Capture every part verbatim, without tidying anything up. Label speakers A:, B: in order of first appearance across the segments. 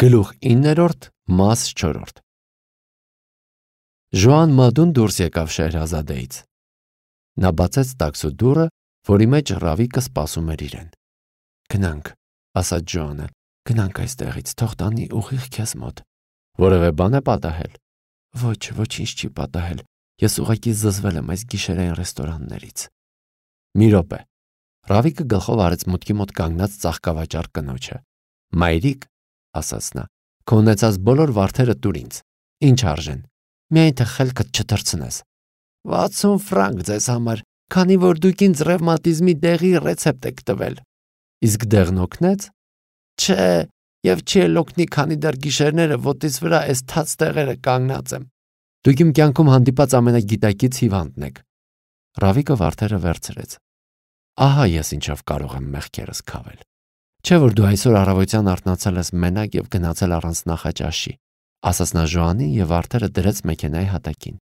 A: Գլուխ իններորդ մաս չորրորդ Ժոան Մադուն դուրս եկավ Շեհրազադեից։ Նա բացեց տաքսու դուռը, որի մեջ Ռավիկը սպասում էր իրեն։ Գնանք, ասաց Ժոանը, գնանք այստեղից, թող տանի ուղիղ քեզ մոտ։ Որևէ բան է պատահել։ Ոչ, ոչինչ չի պատահել։ Ես ուղղակի զզվել եմ այս գիշերային ռեստորաններից։ Մի րոպե։ Ռավիկը գլխով արեց մուտքի մոտ կանգնած ծաղկավաճառ կնոջը։ Մայրիկ, ասաց նա, քո ունեցած բոլոր վարդերը տուր ինձ։ Ինչ արժեն։ Միայն թե խելքդ չթռցնես։ վաթսուն ֆրանկ ձեզ համար, քանի որ դուք ինձ ռևմատիզմի դեղի ռեցեպտ եք տվել։ Իսկ դեղն օգնեց։ Չէ, եւ չի էլ օգնի, քանի դեռ գիշերները ոտից վրա այս թաց տեղերը կանգնած եմ։ Դուք իմ կյանքում հանդիպած ամենագիտակից հիվանդն եք։ Ռավիկը վարդերը վերցրեց։ Ահա ես ինչով կարող եմ մեղքերս քավել։ Չէ՞ որ դու այսօր առավոտյան արթնացել ես մենակ եւ գնացել առանց նախաճաշի, ասաց նա Ժոանին եւ վարդերը դրեց մեքենայի հատակին։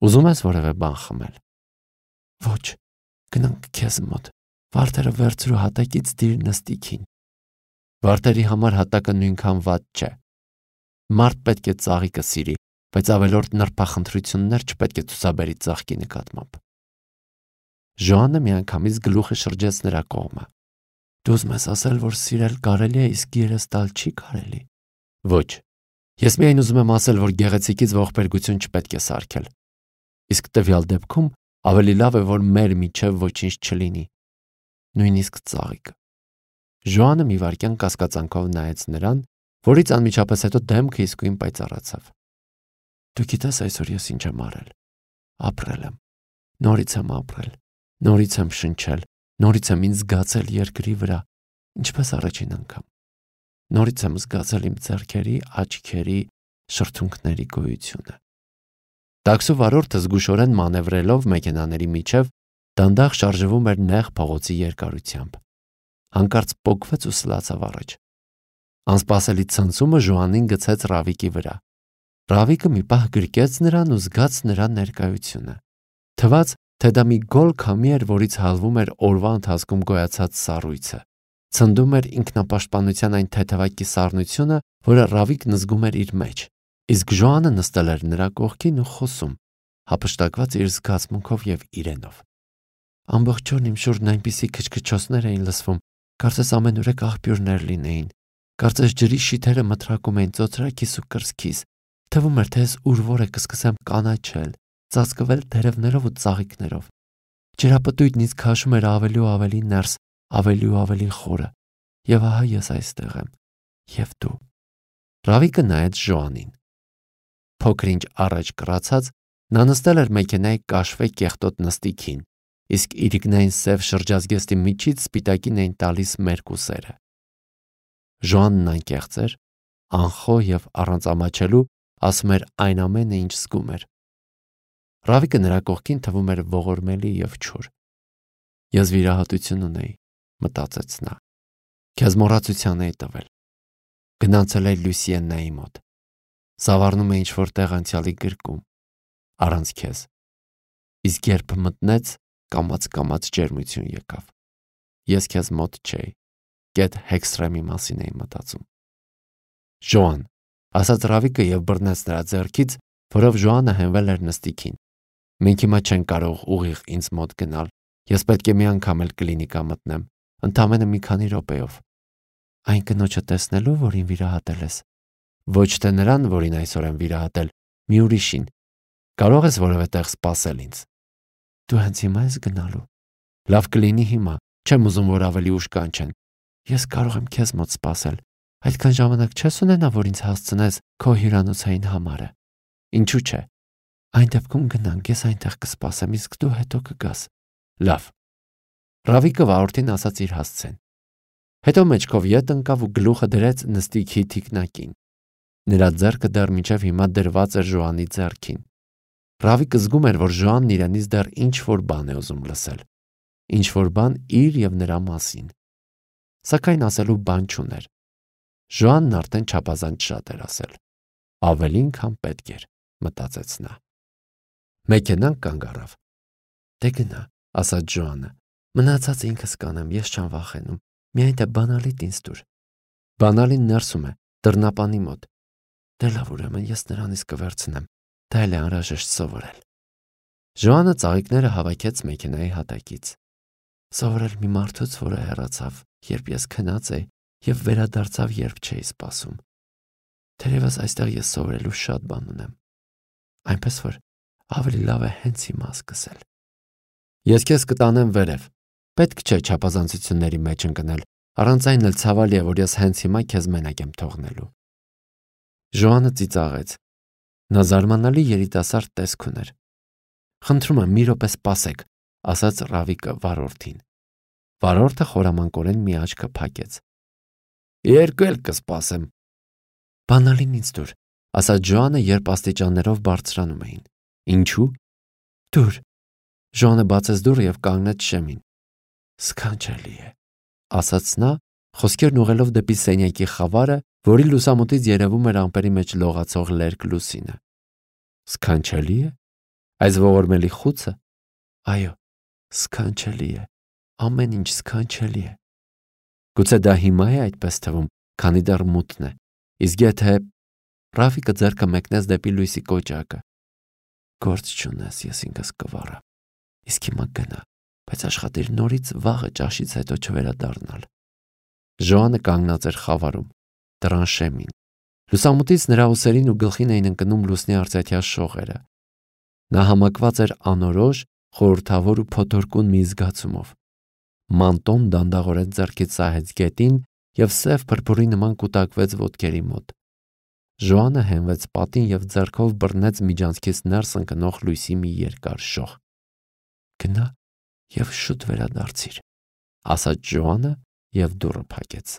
A: Ուզում ես որևէ բան խմել։ Ոչ, գնանք քեզ մոտ։ Վարդերը վերցրու հատակից դիր նստիկին։ Վարդերի համար հատակը նույնքան վատ չէ։ Մարդ պետք է ծաղիկը սիրի, բայց ավելորդ նրբախնդրություններ չպետք է ցուցաբերի ծաղկի նկատմամբ։ Ժոանը միանգամից գլուխը շրջեց նրա կողմը։ Դու ուզում ես ասել, որ սիրել կարելի է, իսկ երես տալ չի կարելի։ Ոչ։ Ես միայն ուզում եմ ասել, որ գեղեցիկից ողբերգություն չպետք է սարքել։ Իսկ տվյալ դեպքում ավելի լավ է, որ մեր միջև ոչինչ չլինի։ Նույնիսկ ծաղիկը։ Ժոանը մի վայրկյան կասկածանքով նայեց նրան, որից անմիջապես հետո դեմքը իսկույն պայծառացավ։ Դու գիտես այսօր ես ինչ եմ արել։ Ապրել եմ։ Նորից եմ ապրել։ Նորից եմ շնչել։ Նորից եմ ինձ զգացել երկրի վրա, ինչպես առաջին անգամ։ Նորից եմ զգացել իմ ձեռքերի, աչքերի, շրթունքների գոյությունը։ Տաքսու վարորդը զգուշորեն մանևրելով մեքենաների միջև դանդաղ շարժվում էր նեղ փողոցի երկարությամբ։ Հանկարծ պոկվեց ու սլացավ առաջ։ Անսպասելի ցնցումը Ժոանին գցեց Ռավիկի վրա։ Ռավիկը մի պահ գրկեց նրան ու զգաց նրա ներկայությունը։ Թվաց, թե դա մի գոլ քամի էր, որից հալվում էր օրվա ընթացքում գոյացած սառույցը։ Ցնդում էր ինքնապաշտպանության այն թեթևակի սառնությունը, որը Ռավիկն զգում էր իր մեջ։ Իսկ Ժոանը նստել էր նրա կողքին ու խոսում, հափշտակված իր զգացմունքով եւ իրենով։ Ամբողջ օրն իմ շուրջն այնպիսի քչքչոցներ էին լսվում, կարծես ամենուրեք աղբյուրներ լինեին։ Կարծես ջրի շիթերը մտրակում էին ծոծրակիս ու կրծքիս։ Թվում էր, թե ես ուրվոր է կսկսեմ կանաչել, ծածկվել տերևներով ու ծաղիկներով։ Ջրապտույտն ինձ քաշում էր ավելի ու ավելի ներս, ավելի ու ավելի խորը։ Եվ ահա ես այստեղ եմ։ Եվ դու։ Ռավիկը նայեց Ժոանին։ Փոքր-ինչ առաջ կռացած նա նստել էր մեքենայի կաշվե կեղտոտ նստիկին, իսկ իրիկնային սև շրջազգեստի միջից սպիտակին էին տալիս մերկուսերը։ Ժոանն անկեղծ էր, անխոհ եւ առանց ամաչելու ասում էր այն ամենը, ինչ զգում էր։ Ռավիկը նրա կողքին թվում էր ողորմելի եւ չոր։ Ես վիրահատություն ունեի, մտածեց նա։ Քեզ մոռացության էի տվել։ Գնացել էի Լուսիեննայի մոտ։ Զավառնում է ինչ-որ տեղ անցյալի գրկում, առանց քեզ։ Իսկ երբ մտնեց, կամաց-կամաց ջերմություն եկավ։ Ես քեզ մոտ չէի։ Գետ Հեքստրեմի մասին էի մտածում։ Ժոան, ասաց Ռավիկը եւ բռնեց նրա ձեռքից, որով Ժոանը հենվել էր նստիկին։ Մենք հիմա չենք կարող ուղիղ ինձ մոտ գնալ։ Ես պետք է մի անգամ էլ կլինիկա մտնեմ, ընդամենը մի քանի րոպեով։ Այն կնոջը տեսնելու, որին վիրահատել ես։ Ոչ թե նրան, որին այսօր եմ վիրահատել, մի ուրիշին։ Կարող ես որևէ տեղ սպասել ինձ։ Դու հենց հիմա ես գնալու։ Լավ կլինի հիմա, չեմ ուզում, որ ավելի ուշ կանչեն։ Ես կարող եմ քեզ մոտ սպասել։ Այդքան ժամանակ չես ունենա, որ ինձ հասցնես քո հյուրանոցային համարը։ Ինչու՞ չէ։ Այն դեպքում գնանք, ես այնտեղ կսպասեմ, իսկ դու հետո կգաս։ Լավ։ Ռավիկը վարորդին ասաց իր հասցեն։ Հետո մեջքով ետ ընկավ ու գլուխը դրեց նստիկի թիկնակին։ Նրա ձեռքը դեռ մինչև հիմա դրված էր Ժոանի ձեռքին։ Ռավիկը զգում էր, որ Ժոանն իրենից դեռ ինչ-որ բան է ուզում լսել։ Ինչ-որ բան իր եւ նրա մասին։ Սակայն ասելու բան չուներ։ Ժոանն արդեն չափազանց շատ էր ասել։ Ավելին, քան պետք էր, մտածեց նա։ Մեքենան կանգ առավ։ Դե գնա, ասաց Ժոանը։ Մնացածը ինքս կանեմ, ես չեմ վախենում։ Միայն թե բանալիդ ինձ տուր։ Բանալին ներսում է, դռնապանի մոտ։ Դե լավ, ուրեմն ես նրանից կվերցնեմ, դա էլ է անհրաժեշտ սովորել։ Ժոանը ծաղիկները հավաքեց մեքենայի հատակից։ Սովորել մի մարդուց, որը հեռացավ, երբ ես քնած էի, եւ վերադարձավ, երբ չէի սպասում։ Թերևս այստեղ ես սովորելու շատ բան ունեմ, այնպես որ ավելի լավ է հենց հիմա սկսել։ Ես քեզ կտանեմ վերև։ Պետք չէ չափազանցությունների մեջ ընկնել, առանց այն էլ ցավալի է, որ ես հենց հիմա քեզ մենակ եմ թողնելու։ Ժոանը ծիծաղեց։ Նա զարմանալի երիտասարդ տեսք ուներ։ Խնդրում եմ, մի րոպե սպասեք, ասաց Ռավիկը վարորդին։ Վարորդը խորամանկորեն մի աչքը փակեց։ Երկու էլ կսպասեմ։ Բանալին ինձ դուր, ասաց Ժոանը, երբ աստիճաններով բարձրանում էին։ Ինչու՞։ Դուր։ Ժոանը բացեց դուռը եւ կանգնեց շեմին։ Սքանչելի է, ասաց նա, խոսքերն ուղղելով դեպի սենյակի խավարը, որի լուսամուտից երևում էր ամպերի մեջ լողացող լերկ լուսինը։ Սքանչելի է։ Այս ողորմելի խուցը։ Այո, սքանչելի է։ Ամեն ինչ սքանչելի է։ Գուցե դա հիմա է այդպես թվում, քանի դեռ մութն է։ Իսկ եթե… Ռաֆիկը ձեռքը մեկնեց դեպի լույսի կոճակը։ Գործ չունես, ես ինքս կվառեմ։ Իսկ հիմա գնա, բայց աշխատիր նորից վաղը ճաշից հետո չվերադառնալ։ Ժոանը կանգնած էր խավարում, դռան շեմին։ Լուսամուտից նրա ուսերին ու գլխին էին ընկնում լուսնի արծաթյա շողերը։ Նա համակված էր անորոշ, խորհրդավոր ու փոթորկուն մի զգացումով։ Մանտոն դանդաղորեն ձեռքից սահեց գետին եւ սև փրփուրի նման կուտակվեց ոտքերի մոտ։ Ժոանը հենվեց պատին եւ ձեռքով բռնեց միջանցքից ներս ընկնող լույսի մի երկար շող։ Գնա եւ շուտ վերադարձիր, ասաց Ժոանը եւ դուռը փակեց։